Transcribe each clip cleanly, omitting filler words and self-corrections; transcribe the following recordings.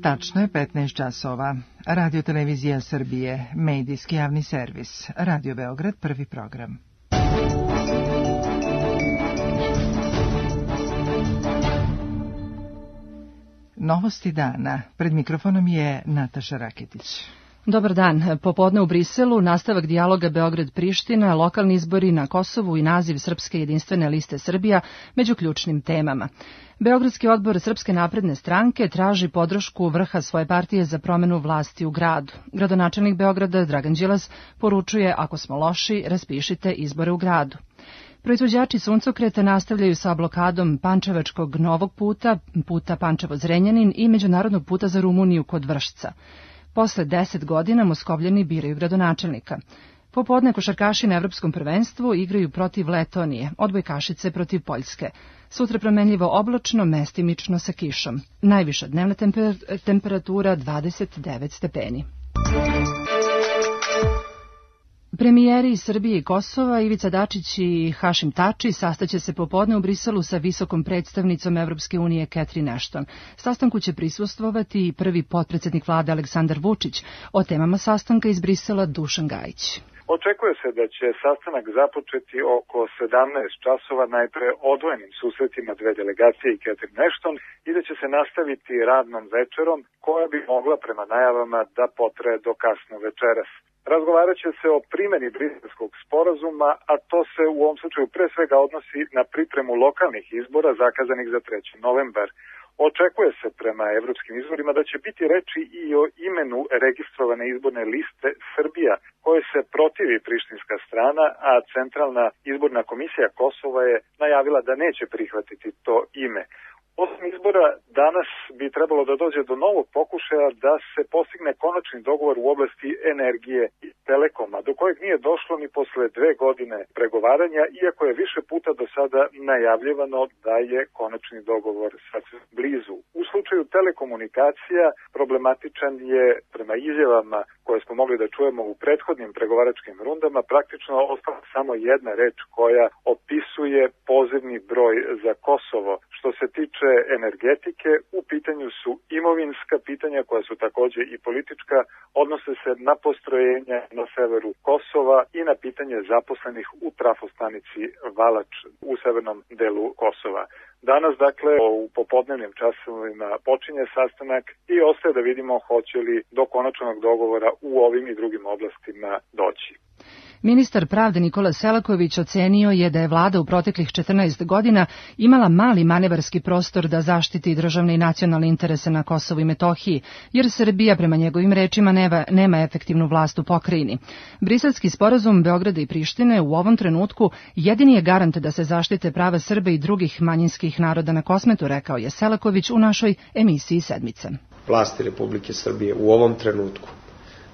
Tačno je 15 časova. Radio Televizija Srbije, medijski javni servis. Radio Beograd, prvi program. Novosti dana. Pred mikrofonom je Nataša Raketić. Dobar dan. Popodne u Briselu nastavak dijaloga Beograd-Priština, lokalni izbori na Kosovu i naziv Srpske jedinstvene liste Srbija među ključnim temama. Beogradski odbor Srpske napredne stranke traži podršku vrha svoje partije za promenu vlasti u gradu. Gradonačelnik Beograda Dragan Đilas poručuje: ako smo loši, raspišite izbore u gradu. Proizvođači suncokreta nastavljaju sa blokadom Pančevačkog novog puta, puta Pančevo-Zrenjanin i međunarodnog puta za Rumuniju kod Vršca. Posle 10 godina Moskovljani biraju gradonačelnika. Popodne košarkaši na Evropskom prvenstvu igraju protiv Letonije, odbojkašice protiv Poljske. Sutra promenljivo oblačno, mestimično sa kišom. Najviša dnevna temperatura 29 stepeni. Premijeri iz Srbije i Kosova, Ivica Dačić i Hašim Tači, sastaće se popodne u Briselu sa visokom predstavnicom Evropske unije Catherine Ashton. Sastanku će prisustvovati i prvi potpredsednik vlade Aleksandar Vučić. O temama sastanka iz Brisela Dušan Gajić. Očekuje se da će sastanak započeti oko 17 časova, najpre odvojenim susretima dve delegacije i Catherine Ashton, i da će se nastaviti radnom večerom koja bi mogla prema najavama da potraje do kasno večeras. Razgovarat će se o primjeni Briselskog sporazuma, a to se u ovom slučaju pre svega odnosi na pripremu lokalnih izbora zakazanih za 3. novembar. Očekuje se prema evropskim izborima da će biti reči i o imenu registrovane izborne liste Srbija, koje se protivi prištinska strana, a Centralna izborna komisija Kosova je najavila da neće prihvatiti to ime. Osim izbora, danas bi trebalo da dođe do novog pokušaja da se postigne konačni dogovor u oblasti energije i telekoma, do kojeg nije došlo ni posle 2 godine pregovaranja, iako je više puta do sada najavljivano da je konačni dogovor sasvim blizu. U slučaju telekomunikacija problematičan je, prema izjavama koje smo mogli da čujemo u prethodnim pregovaračkim rundama, praktično ostala samo jedna reč koja opisuje pozivni broj za Kosovo. Što se tiče energetike, u pitanju su imovinska pitanja koja su takođe i politička, odnose se na postrojenja na severu Kosova i na pitanje zaposlenih u trafostanici Valač u severnom delu Kosova. Danas, dakle, u popodnevnim časovima počinje sastanak i ostaje da vidimo hoće li do konačnog dogovora u ovim i drugim oblastima doći. Ministar pravde Nikola Selaković ocenio je da je vlada u proteklih 14 godina imala mali manevarski prostor da zaštiti državne i nacionalne interese na Kosovu i Metohiji, jer Srbija, prema njegovim rečima, nema efektivnu vlast u pokrajini. Briselski sporazum Beograda i Prištine u ovom trenutku jedini je garant da se zaštite prava Srba i drugih manjinskih naroda na Kosmetu, rekao je Selaković u našoj emisiji Sedmice. Vlasti Republike Srbije u ovom trenutku,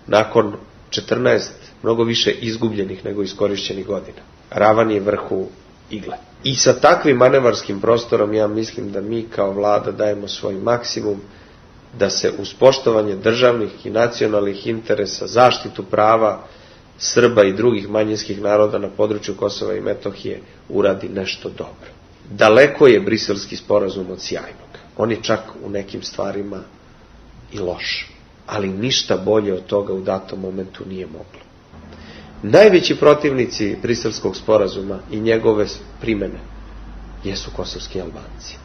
nakon 14 mnogo više izgubljenih nego iskorišćenih godina, ravan je vrhu igle. I sa takvim manevarskim prostorom ja mislim da mi kao vlada dajemo svoj maksimum da se uz poštovanje državnih i nacionalnih interesa, zaštitu prava Srba i drugih manjinskih naroda na području Kosova i Metohije uradi nešto dobro. Daleko je Briselski sporazum od sjajnog. On je čak u nekim stvarima i loš. Ali ništa bolje od toga u datom momentu nije moglo. Najveći protivnici Briselskog sporazuma i njegove primene jesu kosovski Albanci.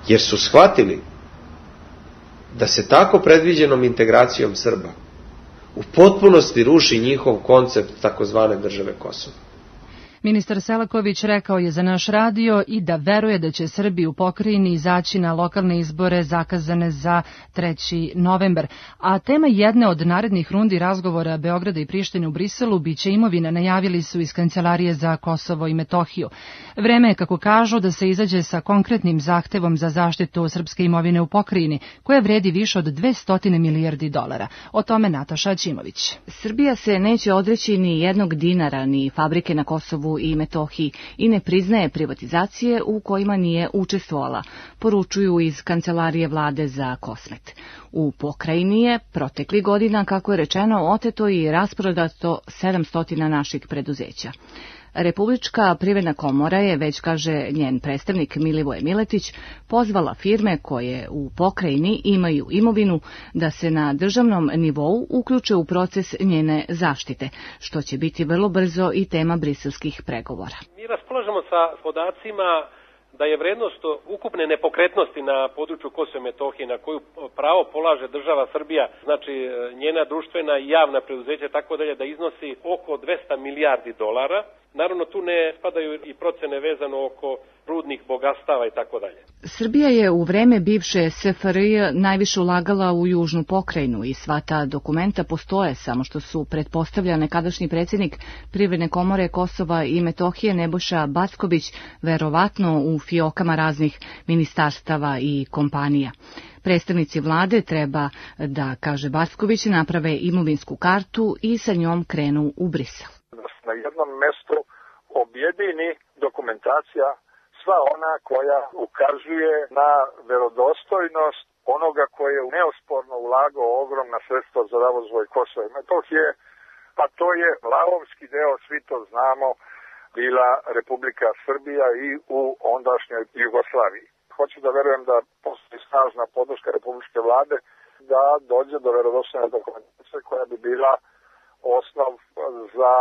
Jer su shvatili da se tako predviđenom integracijom Srba u potpunosti ruši njihov koncept takozvane države Kosovo. Ministar Selaković rekao je za naš radio i da veruje da će Srbi u pokrajini izaći na lokalne izbore zakazane za 3. novembar. A tema jedne od narednih rundi razgovora Beograda i Prištine u Briselu biće imovina, najavili su iz Kancelarije za Kosovo i Metohiju. Vreme je, kako kažu, da se izađe sa konkretnim zahtevom za zaštitu srpske imovine u pokrajini, koja vredi više od 200 milijardi dolara. O tome Nataša Ćimović. Srbija se neće odreći ni jednog dinara, ni fabrike na Kosovu i Metohiji i ne priznaje privatizacije u kojima nije učestvovala, poručuju iz Kancelarije vlade za Kosmet. U pokrajini je protekli godina, kako je rečeno, oteto i rasprodato 700 naših preduzeća. Republička privredna komora je, već kaže njen predstavnik Milivoje Miletić, pozvala firme koje u pokrajini imaju imovinu da se na državnom nivou uključe u proces njene zaštite, što će biti vrlo brzo i tema briselskih pregovora. Mi raspolažemo sa podacima da je vrednost ukupne nepokretnosti na području Kosova i Metohije na koju pravo polaže država Srbija, znači njena društvena i javna preduzeća tako dalje, da iznosi oko 200 milijardi dolara. Naravno tu ne spadaju i procene vezano oko rudnih bogatstava i tako dalje. Srbija je u vreme bivše SFRJ najviše ulagala u južnu pokrajinu i sva ta dokumenta postoje, samo što su pretpostavlja nekadašnji predsjednik Privredne komore Kosova i Metohije Nebojša Backović verovatno u fiokama raznih ministarstava i kompanija. Predstavnici vlade treba da, kaže Backović, naprave imovinsku kartu i sa njom krenu u Brisel. Na jednom mestu objedini dokumentacija sva ona koja ukazuje na verodostojnost onoga koji je neosporno ulagao ogromna sredstva za razvoj Kosova i Metohije, a to je lavovski deo, svi to znamo, bila Republika Srbija i u ondašnjoj Jugoslaviji. Hoću da verujem da postoji snažna podrška republičke vlade da dođe do verodostojne dokumentacije koja bi bila osnov za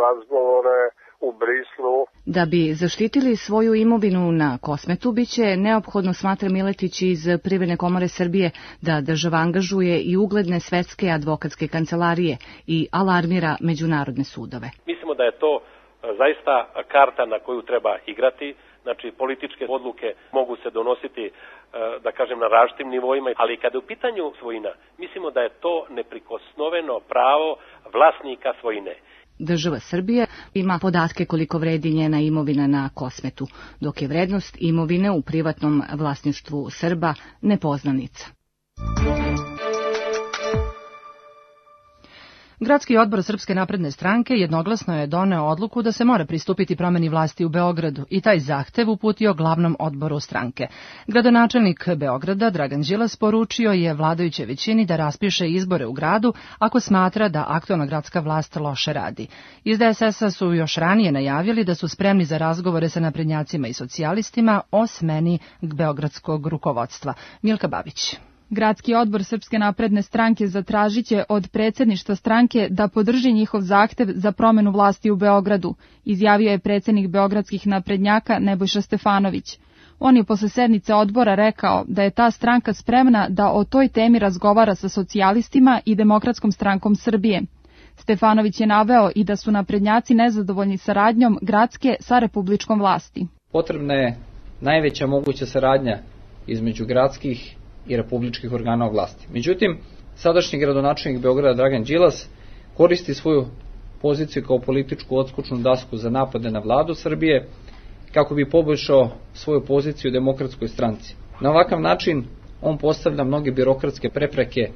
razgovore u Brislu. Da bi zaštitili svoju imovinu na Kosmetu, biće neophodno, smatra Miletić iz Privredne komore Srbije, da država angažuje i ugledne svetske advokatske kancelarije i alarmira međunarodne sudove. Mislimo da je to zaista karta na koju treba igrati. Znači, političke odluke mogu se donositi, da kažem, na različitim nivoima, ali kada je u pitanju svojina, mislimo da je to neprikosnoveno pravo vlasnika svojine. Država Srbija ima podatke koliko vredi njena imovina na Kosmetu, dok je vrednost imovine u privatnom vlasništvu Srba nepoznanica. Gradski odbor Srpske napredne stranke jednoglasno je doneo odluku da se mora pristupiti promeni vlasti u Beogradu i taj zahtev uputio glavnom odboru stranke. Gradonačelnik Beograda Dragan Đilas poručio je vladajućoj većini da raspiše izbore u gradu ako smatra da aktualna gradska vlast loše radi. Iz DSS-a su još ranije najavili da su spremni za razgovore sa naprednjacima i socijalistima o smeni beogradskog rukovodstva. Milka Babić. Gradski odbor Srpske napredne stranke zatražiće od predsjedništva stranke da podrži njihov zahtev za promenu vlasti u Beogradu, izjavio je predsjednik beogradskih naprednjaka Nebojša Stefanović. On je posle sednice odbora rekao da je ta stranka spremna da o toj temi razgovara sa socijalistima i Demokratskom strankom Srbije. Stefanović je naveo i da su naprednjaci nezadovoljni saradnjom gradske sa republičkom vlasti. Potrebna je najveća moguća saradnja između gradskih i republičkih organa vlasti. Međutim, sadašnji gradonačelnik Beograda Dragan Đilas koristi svoju poziciju kao političku odskočnu dasku za napade na vladu Srbije kako bi poboljšao svoju poziciju u Demokratskoj stranci. Na ovakav način on postavlja mnoge birokratske prepreke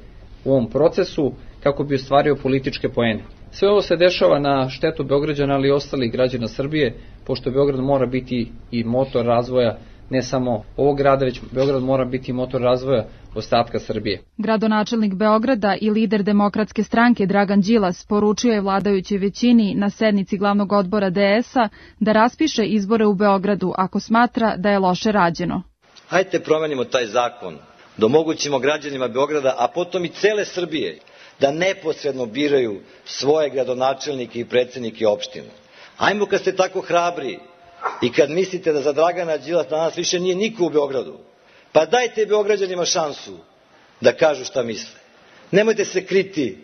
u ovom procesu kako bi ostvario političke poene. Sve ovo se dešava na štetu Beograđana, ali i ostalih građana Srbije, pošto Beograd mora biti i motor razvoja ne samo ovog grada, već Beograd mora biti motor razvoja ostatka Srbije. Gradonačelnik Beograda i lider Demokratske stranke Dragan Đilas poručio je vladajućoj većini na sednici glavnog odbora DS-a da raspiše izbore u Beogradu ako smatra da je loše rađeno. Hajde promenimo taj zakon, da omogućimo građanima Beograda, a potom i cele Srbije, da neposredno biraju svoje gradonačelnike i predsjednike opština. Ajmo, kad ste tako hrabri i kad mislite da za Dragana Đilasa danas više nije niko u Beogradu, pa dajte Beograđanima šansu da kažu šta misle. Nemojte se kriti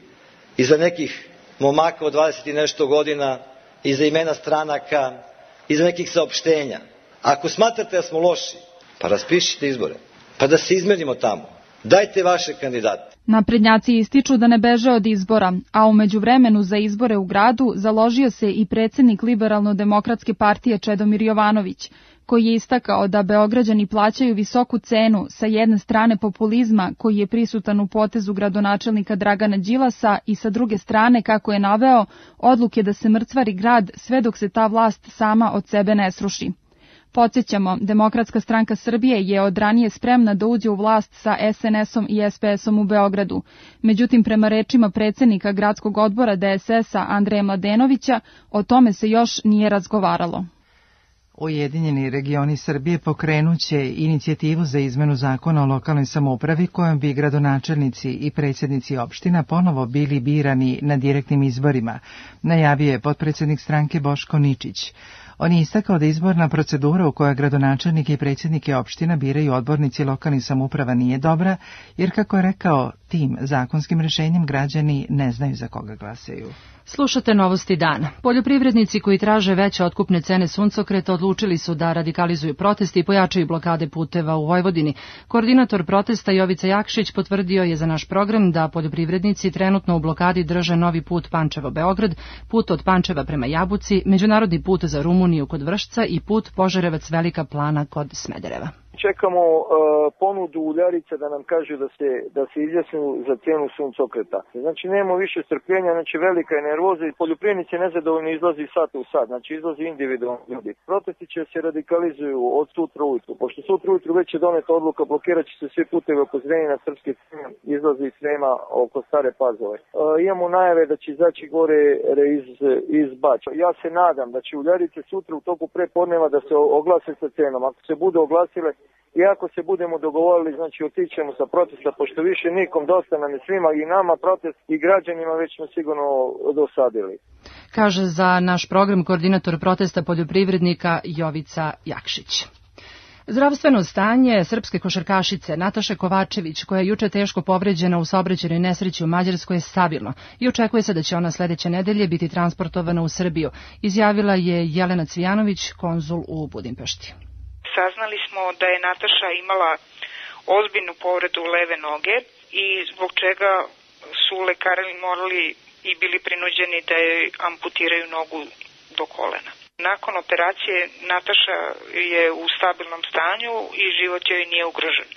iza nekih momaka od 20 i nešto godina, iza imena stranaka, iza nekih saopštenja. Ako smatrate da smo loši, pa raspišite izbore, pa da se izmenimo tamo. Dajte vaše kandidate. Naprednjaci ističu da ne beže od izbora, a u međuvremenu za izbore u gradu založio se i predsjednik Liberalno-demokratske partije Čedomir Jovanović, koji je istakao da Beograđani plaćaju visoku cenu sa jedne strane populizma koji je prisutan u potezu gradonačelnika Dragana Đilasa i sa druge strane, kako je naveo, odluke da se mrcvari grad sve dok se ta vlast sama od sebe ne sruši. Podsjećamo, Demokratska stranka Srbije je od ranije spremna da uđe u vlast sa SNS-om i SPS-om u Beogradu. Međutim, prema rečima predsjednika gradskog odbora DSS-a Andreja Mladenovića, o tome se još nije razgovaralo. Ujedinjeni regioni Srbije pokrenuće inicijativu za izmenu zakona o lokalnoj samoupravi kojom bi gradonačelnici i predsjednici opština ponovo bili birani na direktnim izborima, najavio je potpredsjednik stranke Boško Ničić. On je istakao da izborna procedura u kojoj gradonačelnike i predsjednike opština biraju odbornici lokalnih samouprava nije dobra, jer kako je rekao, tim zakonskim rješenjem građani ne znaju za koga glasaju. Slušate Novosti dana. Poljoprivrednici koji traže veće otkupne cene suncokreta odlučili su da radikalizuju proteste i pojačaju blokade puteva u Vojvodini. Koordinator protesta Jovica Jakšić potvrdio je za naš program da poljoprivrednici trenutno u blokadi drže novi put Pančevo-Beograd, put od Pančeva prema Jabuci, međunarodni put za Rumuniju kod Vršca i put Požarevac-Velika Plana kod Smedereva. Čekamo ponudu uljarica da nam kažu da se izjasnu za cijenu suncokreta. Znači nemamo više strpljenja, znači velika je nervoza i poljoprivrednici nezadovoljni izlazi sat u sat, znači izlazi individualni ljudi. Protesti će se radikalizuju od sutra ujutru. Pošto sutra ujutru već je doneta odluka, blokirat će se svi putevi oko Zrenjanina, Srpske Crne, izlazi iz Srema oko Stare Pazove. Imamo najave da će izaći gore iz Bača. Ja se nadam da će uljarice sutra u toku prepodneva da se oglase sa cenom. Ako se bude oglasile i ako se budemo dogovorili, znači otićemo sa protesta, pošto više nikom dosta nam je svima i nama protest i građanima već smo sigurno dosadili. Kaže za naš program koordinator protesta poljoprivrednika Jovica Jakšić. Zdravstveno stanje srpske košarkašice Nataše Kovačević, koja je juče teško povređena u saobraćajnoj nesreći u Mađarskoj, je stabilno i očekuje se da će ona sledeće nedelje biti transportovana u Srbiju, izjavila je Jelena Cvijanović, konzul u Budimpešti. Saznali smo da je Nataša imala ozbiljnu povredu leve noge i zbog čega su lekari morali i bili prinuđeni da joj amputiraju nogu do kolena. Nakon operacije Nataša je u stabilnom stanju i život joj nije ugrožen.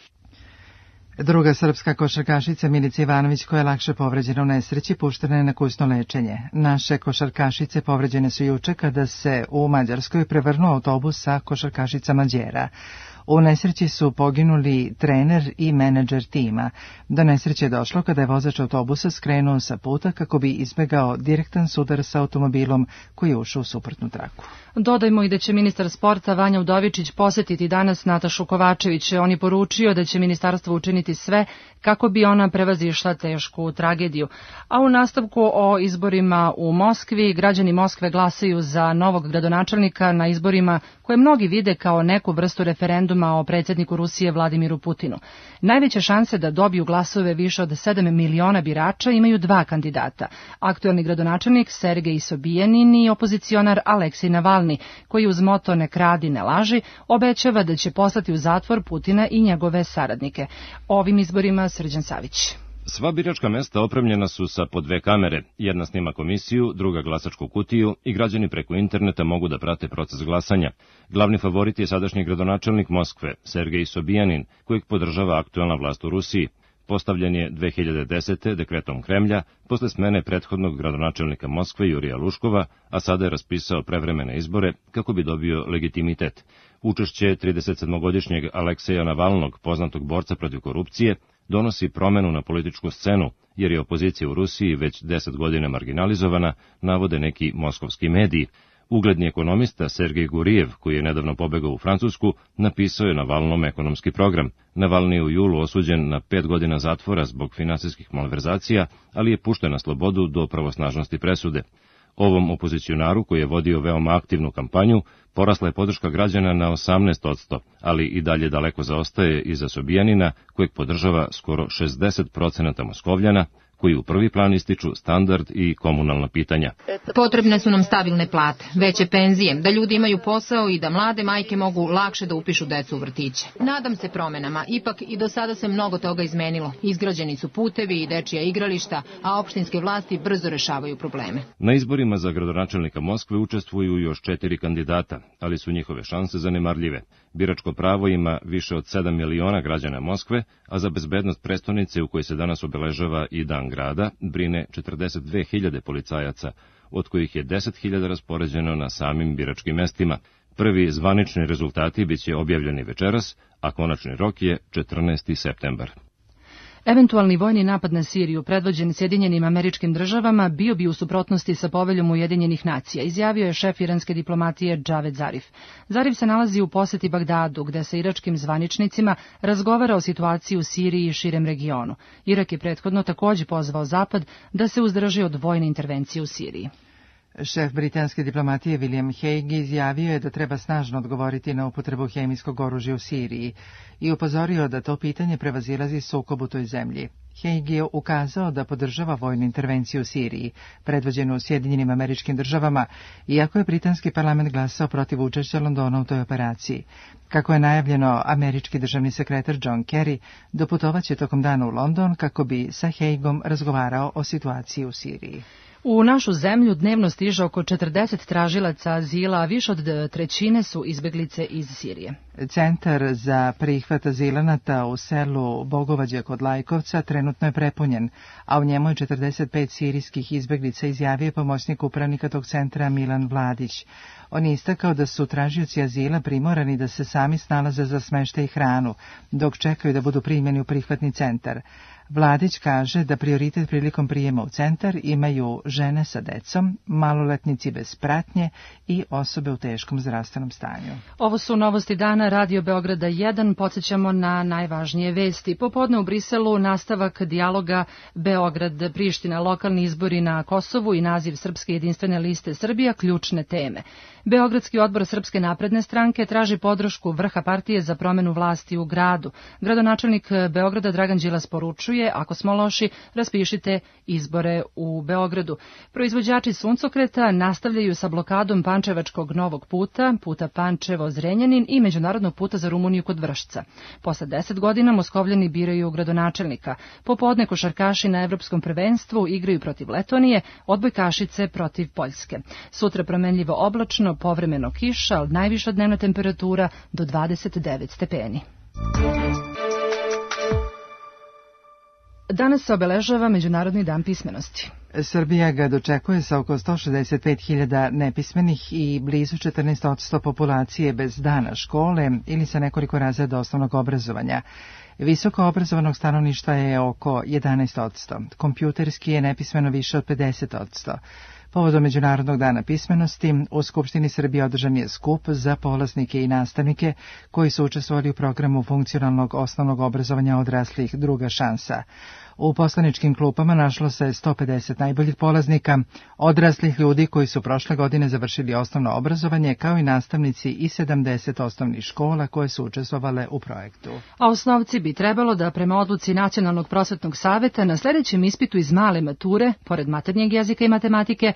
Druga srpska košarkašica Milica Ivanović, koja je lakše povređena u nesreći, puštena je na kućno lečenje. Naše košarkašice povređene su juče kada se u Mađarskoj prevrnuo autobus sa košarkašicama Đera. U nesreći su poginuli trener i menadžer tima. Do nesreće je došlo kada je vozač autobusa skrenuo sa puta kako bi izbegao direktan sudar sa automobilom koji je ušao u suprotnu traku. Dodajmo i da će ministar sporta Vanja Udovičić posetiti danas Natašu Kovačević. On je poručio da će ministarstvo učiniti sve kako bi ona prevazišla tešku tragediju. A u nastavku o izborima u Moskvi, građani Moskve glasaju za novog gradonačelnika na izborima koje mnogi vide kao neku vrstu referenduma o predsjedniku Rusije Vladimiru Putinu. Najveće šanse da dobiju glasove više od 7 miliona birača imaju dva kandidata. Aktuelni gradonačelnik Sergej Sobijanin i opozicionar Aleksej Navalni, koji uz moto "ne kradi, ne laži" obećava da će poslati u zatvor Putina i njegove saradnike. O ovim izborima Srđan Savić. Sva biračka mesta opremljena su sa po 2 kamere, jedna snima komisiju, druga glasačku kutiju i građani preko interneta mogu da prate proces glasanja. Glavni favorit je sadašnji gradonačelnik Moskve, Sergej Sobijanin, kojeg podržava aktuelna vlast u Rusiji. Postavljen je 2010. dekretom Kremlja, posle smene prethodnog gradonačelnika Moskve Jurija Luškova, a sada je raspisao prevremene izbore kako bi dobio legitimitet. Učešće 37-godišnjeg Alekseja Navalnog, poznatog borca protiv korupcije, donosi promenu na političku scenu, jer je opozicija u Rusiji već 10 godina marginalizovana, navode neki moskovski mediji. Ugledni ekonomista Sergej Gurijev, koji je nedavno pobegao u Francusku, napisao je Navalnom ekonomski program. Navalni je u julu osuđen na 5 godina zatvora zbog finansijskih malverzacija, ali je pušten na slobodu do pravosnažnosti presude. Ovom opozicionaru, koji je vodio veoma aktivnu kampanju, porasla je podrška građana na 18%, ali i dalje daleko zaostaje iza Sobijanina, kojeg podržava skoro 60% Moskovljana, koji u prvi plan ističu standard i komunalna pitanja. Potrebne su nam stabilne plate, veće penzije, da ljudi imaju posao i da mlade majke mogu lakše da upišu decu u vrtiće. Nadam se promenama, ipak i do sada se mnogo toga izmenilo. Izgrađeni su putevi i dečija igrališta, a opštinske vlasti brzo rešavaju probleme. Na izborima za gradonačelnika Moskve učestvuju još 4 kandidata, ali su njihove šanse zanemarljive. Biračko pravo ima više od 7 miliona građana Moskve, a za bezbednost prestonice u kojoj se danas obeležava i Dan grada brine 42.000 policajaca, od kojih je 10.000 raspoređeno na samim biračkim mestima. Prvi zvanični rezultati biće objavljeni večeras, a konačni rok je 14. septembar. Eventualni vojni napad na Siriju, predvođen Sjedinjenim Američkim Državama, bio bi u suprotnosti sa poveljom Ujedinjenih nacija, izjavio je šef iranske diplomatije Javed Zarif. Zarif se nalazi u poseti Bagdadu, gde sa iračkim zvaničnicima razgovara o situaciji u Siriji i širem regionu. Irak je prethodno takođe pozvao Zapad da se uzdrži od vojne intervencije u Siriji. Šef britanske diplomatije William Hague izjavio je da treba snažno odgovoriti na upotrebu hemijskog oružja u Siriji i upozorio da to pitanje prevazilazi sukob u toj zemlji. Hague je ukazao da podržava vojnu intervenciju u Siriji, predvođenu Sjedinjenim Američkim Državama, iako je britanski parlament glasao protiv učešća Londona u toj operaciji. Kako je najavljeno, američki državni sekretar John Kerry doputovaće tokom dana u London kako bi sa Hagueom razgovarao o situaciji u Siriji. U našu zemlju dnevno stiže oko 40 tražilaca azila, a više od trećine su izbeglice iz Sirije. Centar za prihvat azilanata u selu Bogovađe kod Lajkovca trenutno je prepunjen, a u njemu je 45 sirijskih izbeglica, izjavio pomoćnik upravnika tog centra Milan Vladić. On je istakao da su tražioci azila primorani da se sami snalaze za smeštaj i hranu, dok čekaju da budu primljeni u prihvatni centar. Vladić kaže da prioritet prilikom prijema u centar imaju žene sa decom, maloletnici bez pratnje i osobe u teškom zdravstvenom stanju. Ovo su novosti dana Radio Beograda 1. Podsjećamo na najvažnije vesti. Popodne u Briselu nastavak dijaloga Beograd-Priština, lokalni izbori na Kosovu i naziv Srpske jedinstvene liste Srbija, ključne teme. Beogradski odbor Srpske napredne stranke traži podršku vrha partije za promenu vlasti u gradu. Gradonačelnik Beograda Dragan Đilas poručuje: ako smo loši, raspišite izbore u Beogradu. Proizvođači suncokreta nastavljaju sa blokadom Pančevačkog novog puta, puta Pančevo-Zrenjanin i međunarodnog puta za Rumuniju kod Vršca. Posle 10 godina Moskovljani biraju gradonačelnika. Popodne košarkaši na evropskom prvenstvu igraju protiv Letonije, odbojkašice protiv Poljske. Sutra promenljivo oblačno, povremeno kiša, ali najviša dnevna temperatura do 29 stepeni. Danas se obeležava Međunarodni dan pismenosti. Srbija ga dočekuje sa oko 165.000 nepismenih i blizu 14% populacije bez dana škole ili sa nekoliko razreda osnovnog obrazovanja. Visoko obrazovanog stanovništva je oko 11%, kompjuterski je nepismeno više od 50%. Povodom Međunarodnog dana pismenosti, u Skupštini Srbije održan je skup za polaznike i nastavnike koji su učestvovali u programu funkcionalnog osnovnog obrazovanja odraslih Druga šansa. U poslaničkim klupama našlo se 150 najboljih polaznika, odraslih ljudi koji su prošle godine završili osnovno obrazovanje, kao i nastavnici i 70 osnovnih škola koje su učestvovale u projektu. A osnovci bi trebalo da prema odluci Nacionalnog prosvetnog saveta na sljedećem ispitu iz male mature, pored maternjeg jezika i matematike,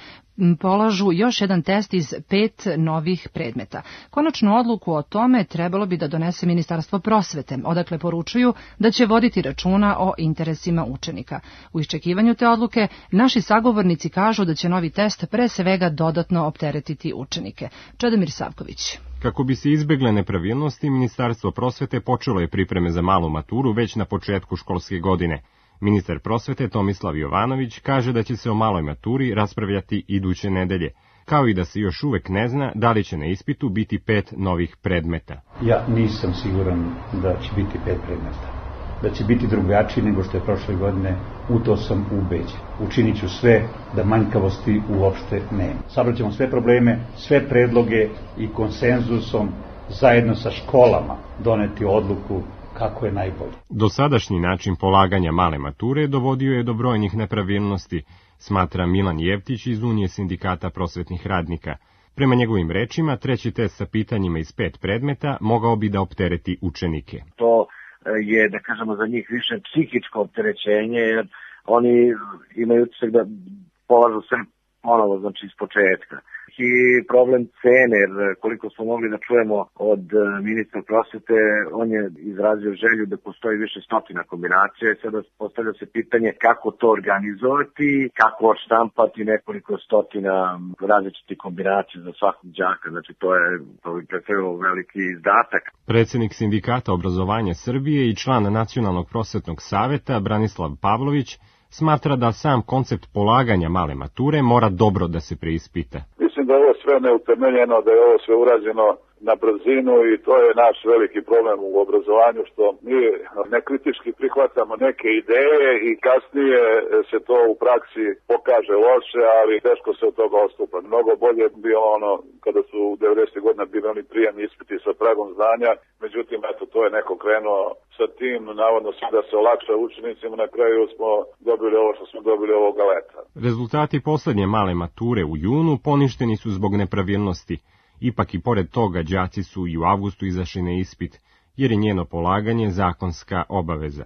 polažu još jedan test iz 5 novih predmeta. Konačnu odluku o tome trebalo bi da donese Ministarstvo prosvete, odakle poručuju da će voditi računa o interesima učenika. U iščekivanju te odluke, naši sagovornici kažu da će novi test pre svega dodatno opteretiti učenike. Čedomir Savković. Kako bi se izbegle nepravilnosti, Ministarstvo prosvete počelo je pripreme za malu maturu već na početku školske godine. Ministar prosvete Tomislav Jovanović kaže da će se o maloj maturi raspravljati iduće nedelje, kao i da se još uvek ne zna da li će na ispitu biti 5 novih predmeta. Ja nisam siguran da će biti 5 predmeta. Da će biti drugačiji nego što je prošle godine, u to sam ubeđen. Učinit ću sve da manjkavosti uopšte nema. Sabraćemo sve probleme, sve predloge i konsenzusom zajedno sa školama doneti odluku kako je najbolje. Dosadašnji način polaganja male mature dovodio je do brojnih nepravilnosti, smatra Milan Jevtić iz Unije sindikata prosvetnih radnika. Prema njegovim rečima, treći test sa pitanjima iz 5 predmeta mogao bi da optereti učenike. To je, da kažemo, za njih više psihičko opterećenje, jer oni imaju utisak da polažu sve ponovo, znači iz početka. I problem cene, jer koliko smo mogli da čujemo od ministra prosvete, on je izrazio želju da postoji više stotina kombinacija i sada postavlja se pitanje kako to organizovati, kako odštampati nekoliko stotina različitih kombinacija za svakog đaka, znači to bi predstavljalo veliki izdatak. Predsednik sindikata obrazovanja Srbije i član Nacionalnog prosvetnog saveta Branislav Pavlović smatra da sam koncept polaganja male mature mora dobro da se preispita. Mislim da je ovo sve neutemeljeno, da je ovo sve urađeno na brzinu i to je naš veliki problem u obrazovanju, što mi nekritički prihvatamo neke ideje i kasnije se to u praksi pokaže loše, ali teško se od toga odstupa. Mnogo bolje bio ono kada su u 90. godina bili oni prijemni ispiti sa pragom znanja, međutim, eto, to je neko krenuo sa tim, navodno sve da se olakša učenicima, na kraju smo dobili ovo što smo dobili ovoga leta. Rezultati poslednje male mature u junu poništeni su zbog nepravilnosti. Ipak i pored toga đaci su i u avgustu izašli na ispit, jer je njeno polaganje zakonska obaveza.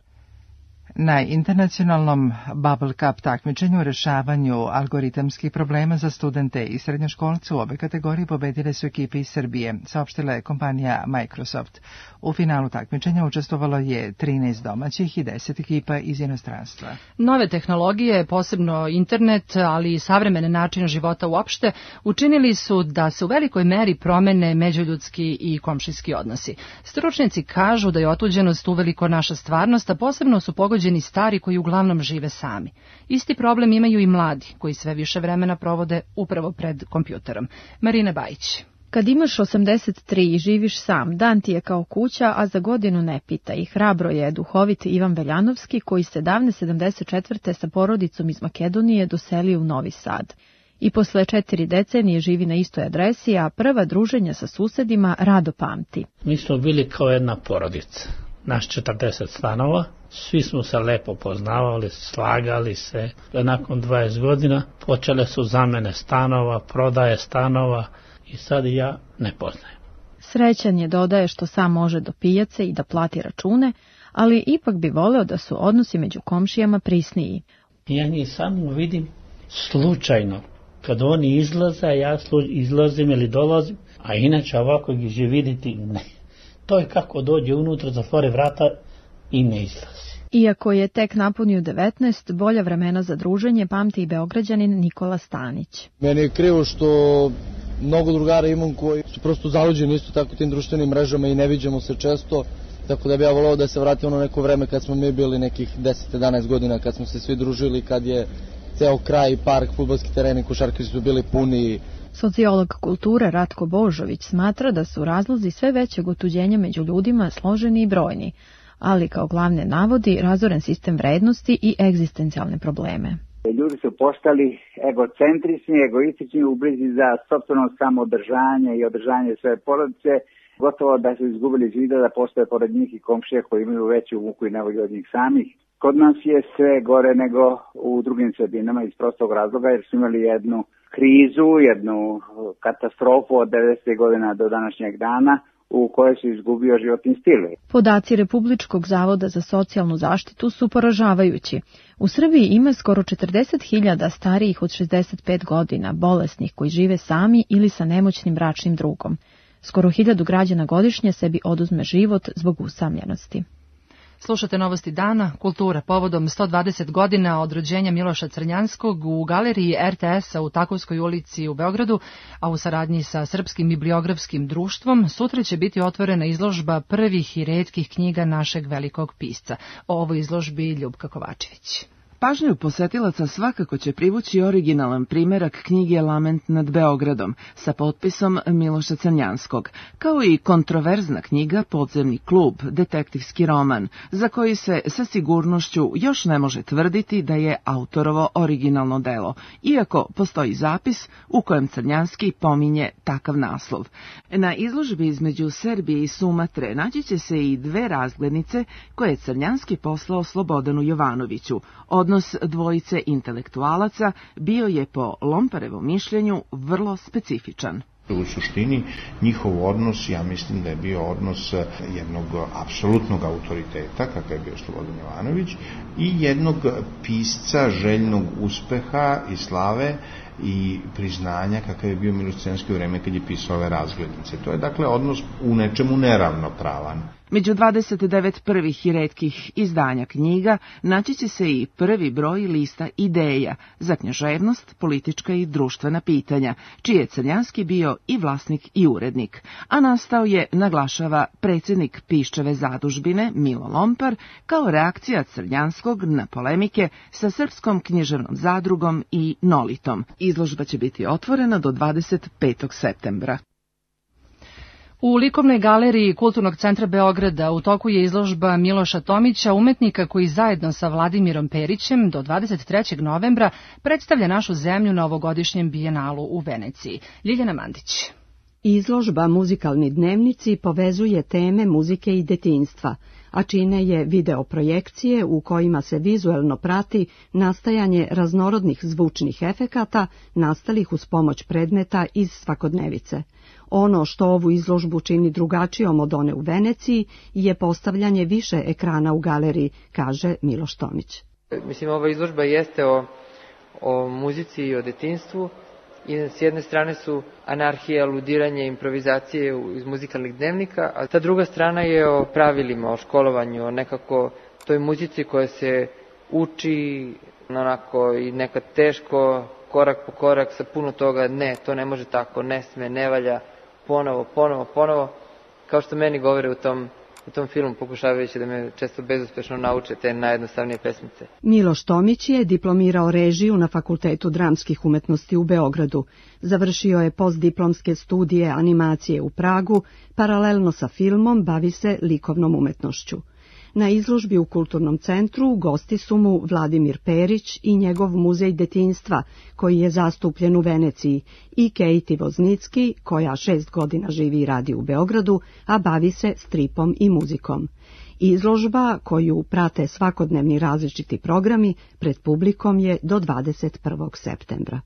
Na internacionalnom Bubble Cup takmičenju u rešavanju algoritamskih problema za studente i srednjoškolce u obe kategorije pobedile su ekipe iz Srbije, saopštila je kompanija Microsoft. U finalu takmičenja učestvovalo je 13 domaćih i 10 ekipa iz inostranstva. Nove tehnologije, posebno internet, ali i savremene načine života uopšte, učinili su da se u velikoj meri promene međuljudski i komšijski odnosi. Stručnjaci kažu da je otuđenost uveliko naša stvarnost, a posebno su pogođeni stari koji uglavnom žive sami. Isti problem imaju i mladi, koji sve više vremena provode upravo pred kompjuterom. Marina Bajić. Kad imaš 83 i živiš sam, dan ti je kao kuća, a za godinu ne pita. I hrabro je duhovit Ivan Veljanovski, koji se davne 74. sa porodicom iz Makedonije doselio u Novi Sad. I posle 4 decenije živi na istoj adresi, a prva druženja sa susedima rado pamti. Mi smo bili kao jedna porodica. Naš 40 stanova, svi smo se lepo poznavali, slagali se. Nakon 20 godina počele su zamene stanova, prodaje stanova i sad ja ne poznajem. Srećan je, dodaje, što sam može do pijace i da plati račune, ali ipak bi voleo da su odnosi među komšijama prisniji. Ja njih samo vidim slučajno. Kad oni izlaze, ja izlazim ili dolazim, a inače ovako ih vidjeti ne. To je kako dođe unutra, zatvore vrata i ne izlazi. Iako je tek napunio 19, bolja vremena za druženje pamti i Beograđanin Nikola Stanić. Meni je krivo što mnogo drugara imam koji su prosto zaluđeni isto tako tim društvenim mrežama i ne viđamo se često, tako da bi ja volao da se vrati ono neko vreme kad smo mi bili nekih 10-11 godina, kad smo se svi družili, kad je ceo kraj, park, fudbalski tereni, košarke su bili puni. Sociolog kulture Ratko Božović smatra da su razlozi sve većeg otuđenja među ljudima složeni i brojni, ali kao glavne navodi razoren sistem vrednosti i egzistencijalne probleme. Ljudi su postali egocentrični, egoistični u brizi za sopstveno samoodržanje i održanje svoje porodice, gotovo da su izgubili iz vida da postoje pored njih i komšije koji imaju veću muku i nevolju od njih samih. Kod nas je sve gore nego u drugim sredinama iz prostog razloga jer su imali jednu krizu, jednu katastrofu od 90. godina do današnjeg dana u kojoj se izgubio životni stil. Podaci Republičkog zavoda za socijalnu zaštitu su poražavajući. U Srbiji ima skoro 40.000 starijih od 65 godina, bolesnih koji žive sami ili sa nemoćnim bračnim drugom. Skoro 1000 građana godišnje sebi oduzme život zbog usamljenosti. Slušate Novosti dana, kultura, povodom 120 godina od rođenja Miloša Crnjanskog u galeriji RTS-a u Takovskoj ulici u Beogradu, a u saradnji sa Srpskim bibliografskim društvom, sutra će biti otvorena izložba prvih i retkih knjiga našeg velikog pisca. O ovoj izložbi Ljubka Kovačević. Pažnju posetilaca svakako će privući originalan primerak knjige Lament nad Beogradom sa potpisom Miloša Crnjanskog, kao i kontroverzna knjiga Podzemni klub, detektivski roman, za koji se sa sigurnošću još ne može tvrditi da je autorovo originalno delo, iako postoji zapis u kojem Crnjanski pominje takav naslov. Na izložbi između Serbije i Sumatre naći će se i 2 razglednice koje je Crnjanski poslao Slobodanu Jovanoviću. Odnos dvojice intelektualaca bio je po Lomparevom mišljenju vrlo specifičan. U suštini njihov odnos, ja mislim da je bio odnos jednog apsolutnog autoriteta, kakav je bio Slobodan Jovanović, i jednog pisca željnog uspeha i slave i priznanja kakav je bio Miloš Crnjanski u vreme kad je pisao ove razglednice. To je dakle odnos u nečemu neravnopravan. Među 29 prvih i retkih izdanja knjiga naći će se i prvi broj lista ideja za književnost, politička i društvena pitanja, čiji je Crnjanski bio i vlasnik i urednik, a nastao je, naglašava predsjednik Piščeve zadužbine Milo Lompar, kao reakcija Crnjanskog na polemike sa Srpskom književnom zadrugom i Nolitom. Izložba će biti otvorena do 25. septembra. U likovnoj galeriji Kulturnog centra Beograda u toku je izložba Miloša Tomića, umetnika koji zajedno sa Vladimirom Perićem do 23. novembra predstavlja našu zemlju na ovogodišnjem bijenalu u Veneciji. Ljiljana Mandić. Izložba Muzikalni dnevnici povezuje teme muzike i detinjstva, a čine je videoprojekcije u kojima se vizuelno prati nastajanje raznorodnih zvučnih efekata nastalih uz pomoć predmeta iz svakodnevice. Ono što ovu izložbu čini drugačijom od one u Veneciji je postavljanje više ekrana u galeriji, kaže Miloš Tomić. Mislim, ova izložba jeste o muzici i o detinjstvu. I s jedne strane su anarhija, aludiranje, improvizacije iz muzikalnih dnevnika, a ta druga strana je o pravilima, o školovanju, o nekako toj muzici koja se uči onako i nekad teško, korak po korak, sa puno toga, ne, to ne može tako, ne sme, ne valja, ponovo, kao što meni govore u tom filmu, pokušavajući da me često bezuspešno nauče te najjednostavnije pesmice. Miloš Tomić je diplomirao režiju na Fakultetu dramskih umetnosti u Beogradu. Završio je postdiplomske studije animacije u Pragu, paralelno sa filmom bavi se likovnom umetnošću. Na izložbi u Kulturnom centru gosti su mu Vladimir Perić i njegov muzej detinjstva, koji je zastupljen u Veneciji, i Kejti Voznicki, koja 6 godina živi i radi u Beogradu, a bavi se stripom i muzikom. Izložba, koju prate svakodnevni različiti programi, pred publikom je do 21. septembra.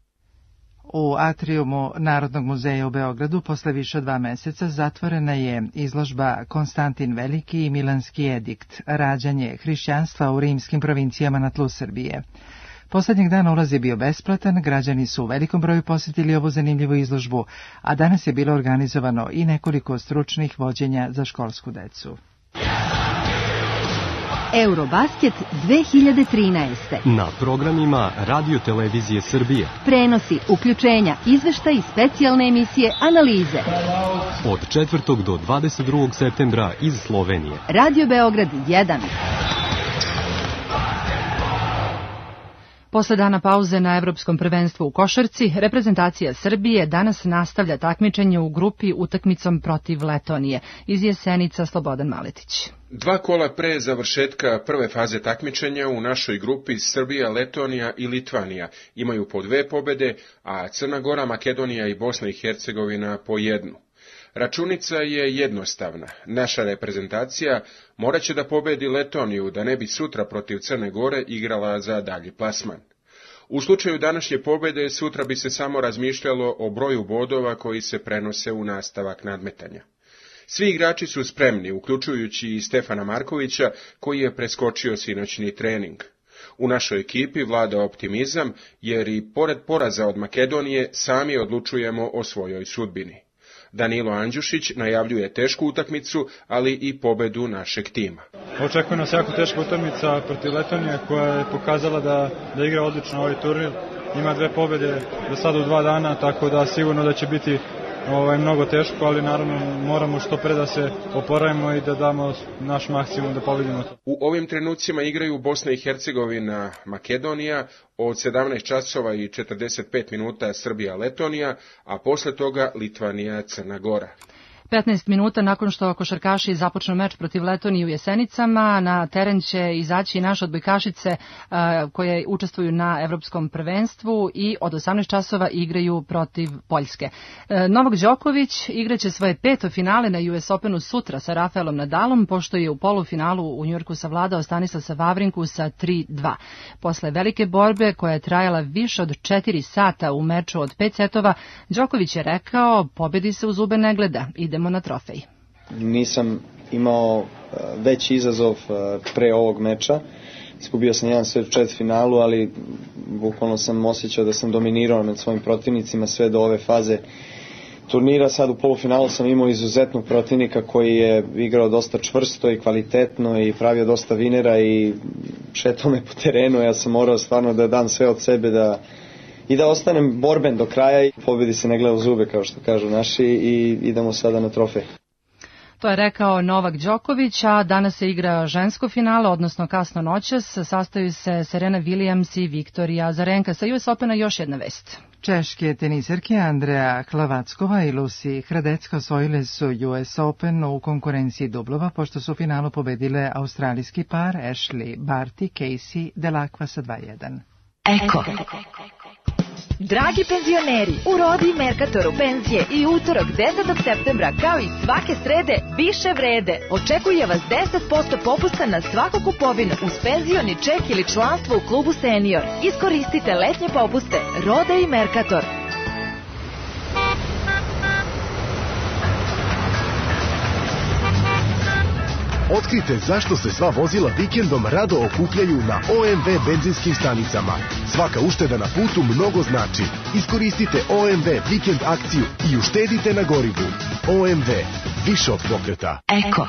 U atrijumu Narodnog muzeja u Beogradu posle više od 2 meseca zatvorena je izložba Konstantin Veliki i Milanski edikt, rađanje hrišćanstva u rimskim provincijama na tlu Srbije. Poslednjeg dana ulaz je bio besplatan, građani su u velikom broju posjetili ovu zanimljivu izložbu, a danas je bilo organizovano i nekoliko stručnih vođenja za školsku decu. Eurobasket 2013. Na programima Radio Televizije Srbije. Prenosi, uključenja, izveštaj i specijalne emisije, analize. Od 4. do 22. septembra iz Slovenije. Radio Beograd 1. Posle dana pauze na Evropskom prvenstvu u košarci, reprezentacija Srbije danas nastavlja takmičenje u grupi utakmicom protiv Letonije. Iz Jesenica Slobodan Maletić. 2 kola pre završetka prve faze takmičenja u našoj grupi Srbija, Letonija i Litvanija imaju po 2 pobede, a Crna Gora, Makedonija i Bosna i Hercegovina po 1. Računica je jednostavna. Naša reprezentacija morat će da pobedi Letoniju da ne bi sutra protiv Crne Gore igrala za dalji plasman. U slučaju današnje pobede sutra bi se samo razmišljalo o broju bodova koji se prenose u nastavak nadmetanja. Svi igrači su spremni, uključujući i Stefana Markovića, koji je preskočio sinoćni trening. U našoj ekipi vlada optimizam, jer i pored poraza od Makedonije sami odlučujemo o svojoj sudbini. Danilo Andjušić najavljuje tešku utakmicu, ali i pobedu našeg tima. Očekuje nas jako teška utakmica protiv Letonije, koja je pokazala da igra odlično ovaj turnir. Ima 2 pobede do sada u 2 dana, tako da sigurno da će biti mnogo teško, ali naravno moramo što pre da se oporavimo i da damo naš maksimum da pobedimo to. U ovim trenucima igraju Bosna i Hercegovina, Makedonija, od 17 časova i 45 minuta Srbija, Letonija, a posle toga Litvanija, Crna Gora. 15 minuta nakon što košarkaši započnu meč protiv Letonije u Jesenicama, na teren će izaći naše odbojkašice koje učestvuju na Evropskom prvenstvu i od 18 časova igraju protiv Poljske. Novak Đoković igraće svoje 5. finale na US Openu sutra sa Rafaelom Nadalom, pošto je u polufinalu u Njujorku savladao Stanislasa Vavrinku sa 3-2. Posle velike borbe koja je trajala više od 4 sata u meču od 5 setova, Đoković je rekao: pobedi se u zube ne gleda, idemo na trofej. Nisam imao veći izazov pre ovog meča. Izgubio sam jedan set u četvrtfinalu, ali bukvalno sam osjećao da sam dominirao nad svojim protivnicima sve do ove faze turnira. Sad u polufinalu sam imao izuzetnog protivnika koji je igrao dosta čvrsto i kvalitetno i pravio dosta vinera i šetao me po terenu. Ja sam morao stvarno da dam sve od sebe i da ostanem borben do kraja. Pobedi se ne gleda u zube, kao što kažu naši, i idemo sada na trofej. To je rekao Novak Đoković, a danas se igra žensko finale, odnosno kasno noćas. Sastaju se Serena Williams i Viktorija Azarenka. Sa US Opena još jedna vest. Češke teniserke Andrea Hlavackova i Lucy Hradecka osvojile su US Open u konkurenciji dublova, pošto su u finalu pobedile australijski par Ashley Barty, Casey Delacqua sa 2:1. Eko. Dragi penzioneri, u Rodi Merkatoru penzije i utorak 10. septembra, kao i svake srede, više vrede. Očekuje vas 10% popusta na svaku kupovinu uz penzioni ček ili članstvo u klubu Senior. Iskoristite letnje popuste. Roda i Merkator. Otkrite zašto se sva vozila vikendom rado okupljaju na OMV benzinskim stanicama. Svaka ušteda na putu mnogo znači. Iskoristite OMV vikend akciju i uštedite na gorivu. OMV, više od pokreta. Eko.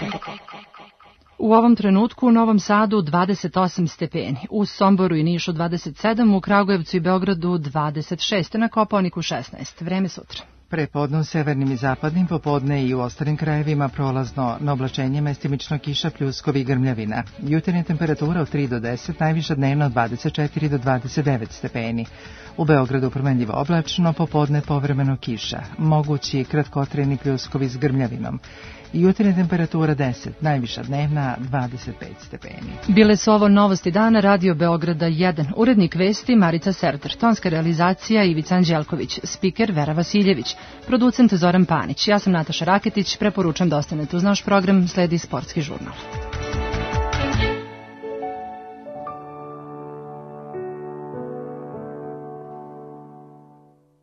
U ovom trenutku u Novom Sadu 28 stepeni, u Somboru i Nišu 27, u Kragujevcu i Beogradu 26, na Kopaoniku 16. Vreme sutra. Prepodne u severnim i zapadnim, popodne i u ostalim krajevima prolazno na oblačenje, mestimično kiša, pljuskovi i grmljavina. Jutarnja temperatura od 3 do 10, najviša dnevno od 24 do 29 stepeni. U Beogradu promenljivo oblačno, popodne povremeno kiša, mogući kratkotrajni pljuskovi s grmljavinom. Jutarnja temperatura 10, najviša dnevna 25 stepeni. Bile su ovo novosti dana Radio Beograda 1. Urednik vesti Marica Serter, tonska realizacija Ivica Anđelković, spiker Vera Vasiljević, producent Zoran Panić. Ja sam Nataša Raketić, preporučam da ostanete uz naš program, sledi sportski žurnal.